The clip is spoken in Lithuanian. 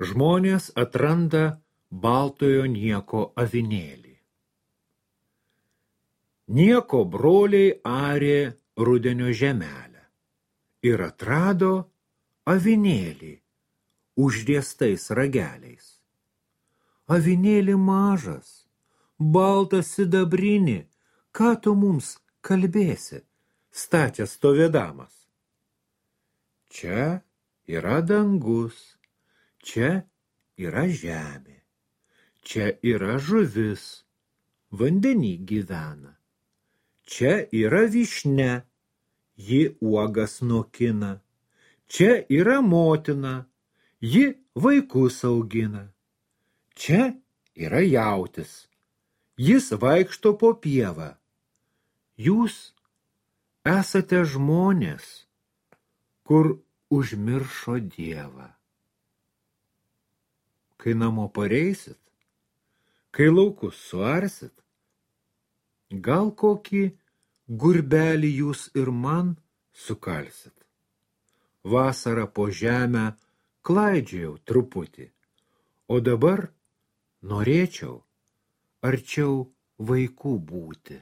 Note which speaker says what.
Speaker 1: Žmonės atranda baltojo nieko avinėlį. Nieko broliai arė rudenio žemelę ir atrado avinėlį užriestais rageliais. Avinėlį mažas, baltas sidabrinį, ką tu mums kalbėsi, stačias stovėdamas? Čia yra dangus, čia yra žemė, čia yra žuvis, vandenį gyvena. Čia yra vyšnia, ji uogas nokina. Čia yra motina, ji vaikus augina. Čia yra jautis, jis vaikšto po pievą. Jūs esate žmonės, kur užmiršo Dievą. Kai namo pareisit, kai laukus suarsit, gal kokį gurbelį jūs ir man sukalsit. Vasarą po žemę klaidžiojau truputį, o dabar norėčiau arčiau vaikų būti.